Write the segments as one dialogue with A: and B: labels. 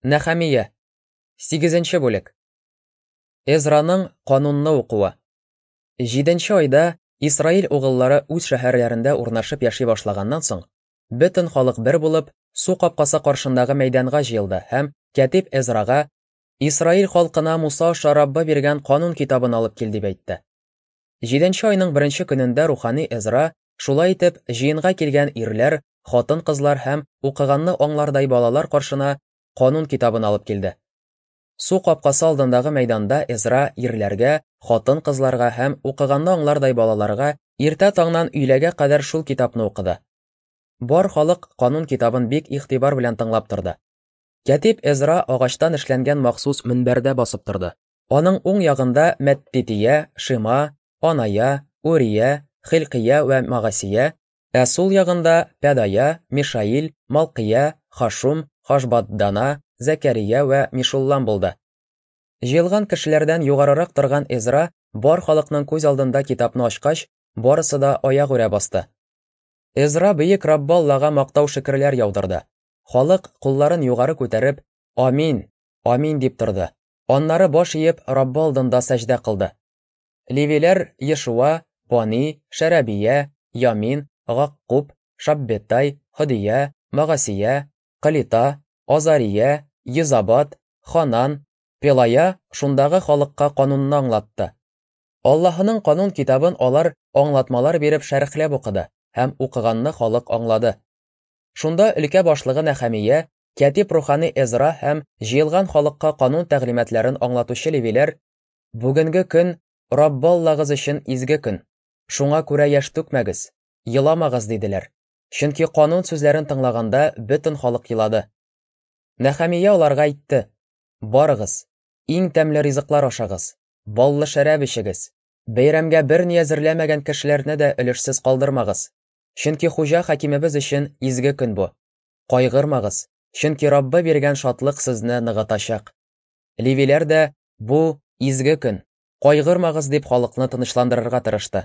A: Нәхәмия, 8 бүлек. Эзраның канунны укуы. Җиденче айда Исраил угыллары үз шәһәрләрендә урнашып яши башлаганнан соң, бөтен халык бер булып, су капкасы каршындагы мәйданга җыелды һәм кәтиб Эзрага Исраил халкына Муса аша Раббы биргән канун китабын алып кил дип әйтте. Җиденче айның беренче көнендә рухани Эзра шулай итеп җыенга килгән ирләр, хатын-кызлар һәм укыганны аңлардай балалар каршына канун китабын алып килде. Су капкасы алдындагы мәйданда Эзра ирләргә, хатын-кызларга һәм укыганны аңлардай балаларга иртә таңнан өйләгә кадәр шул китапны укыды. Бар халык канун китабын бик игътибар белән тыңлап торды. Кәтиб Эзра агачтан эшләнгән махсус мөнбәрдә басып торды. Аның уң ягында Мәттития, Шима, Аная, Урия, Хилкия вә Магасия, ә сул ягында Пәдая, Мишаил, Малкия, Хашум, Хашбаддана, Зәкәрия вә Мишуллам булды. Җыелган кешеләрдән югарырак торган Эзра бар халыкның күз алдында китапны ачкач, барысы да аягүрә басты. Эзра бөек Раббы Аллага мактау-шөкерләр яудырды. Халык, кулларын югары күтәреп, Амин! Амин! дип торды. Аннары баш иеп, Раббы алдында сәҗдә кылды. Левиләр Ешуа, Бани, Шәрәбия, Ямин, Гаккуб, Шаббетай, Һодия, Магасия, Калита, Азария, Йозабат, Ханан, Пелая шундагы халыкка канунны аңлатты. Аллаһының канун китабын алар аңлатмалар биреп шәрехләп укыды һәм укыганны халык аңлады. Шунда өлкә башлыгы Нәхәмия, кәтиб рухани Эзра һәм җыелган халыкка канун тәгълиматларын аңлатучы левиләр: Бүгенге көн Раббы Аллагыз өчен изге көн. Шуңа күрә яшь түкмәгез, еламагыз, диделәр. Чөнки канун сүзләрен тыңлаганда бөтен халык елады. Нәхәмия аларга әйтте: Барыгыз, иң тәмле ризыклар ашагыз, баллы шәраб эчегез. Бәйрәмгә берни әзерләмәгән кешеләрне дә өлешсез калдырмагыз. Чөнки хуҗа хакимебез өчен изге көн бу. Кайгырмагыз, чөнки Раббы биргән шатлык сезне ныгытачак. Левиләр дә, бу, изге көн, кайгырмагыз, дип халыкны тынычландырырга тырышты.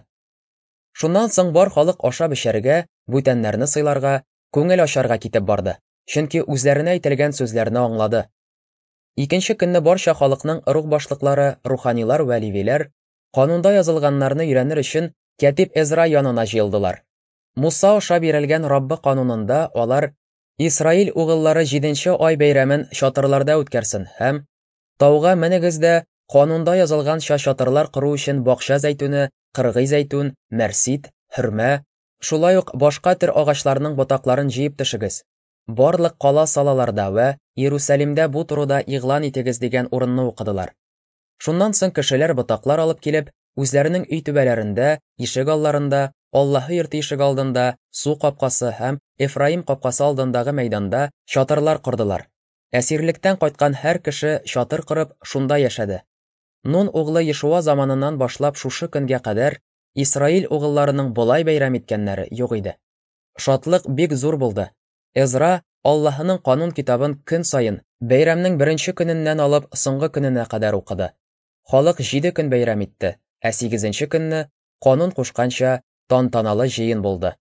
A: Шуннан соң бар халык ашап-эчәргә, бүтәннәрне сыйларга, күңел ачарга китеп барды, чөнки үзләренә әйтелгән сүзләрне аңлады. Икенче көнне барча халыкның ыруг башлыклары, руханилар вә левиләр, канунда язылганнарны өйрәнер өчен, кәтиб Эзра янына җыелдылар. Муса аша бирелгән Раббы канунында алар Исраил угыллары җиденче ай бәйрәмен чатырларда үткәрсен һәм Тауга менегез дә, канунда язылганча чатырлар кору өчен бакча зәйтүне, кыргый зәйтүн, мәрсит, хөрмә, шулай ук башка төр агачларның ботакларын җыеп төшегез. Барлык кала-салаларда вә Иерусалимдә бу турыда игълан итегез дигән урынны укыдылар. Шуннан соң кешеләр ботаклар алып килеп, үзләренең өй түбәләрендә, ишек алларында, Аллаһы йорты ишек алдында, су капкасы һәм Эфраим капкасы алдындагы мәйданда чатырлар кордылар. Әсирлектән кайткан һәр кеше чатыр корып, шунда яшәде. Нун углы Ешуа заманыннан башлап шушы көнгә кадәр Исраил угылларының болай бәйрәм иткәннәре юк иде. Шатлык бик зур булды. Эзра Аллаһының канун китабын көн саен, бәйрәмнең беренче көненнән алып соңгы көненә кадәр укыды. Халык җиде көн бәйрәм итте, ә сигезенче көнне, канун кушканча, тантаналы җыен булды.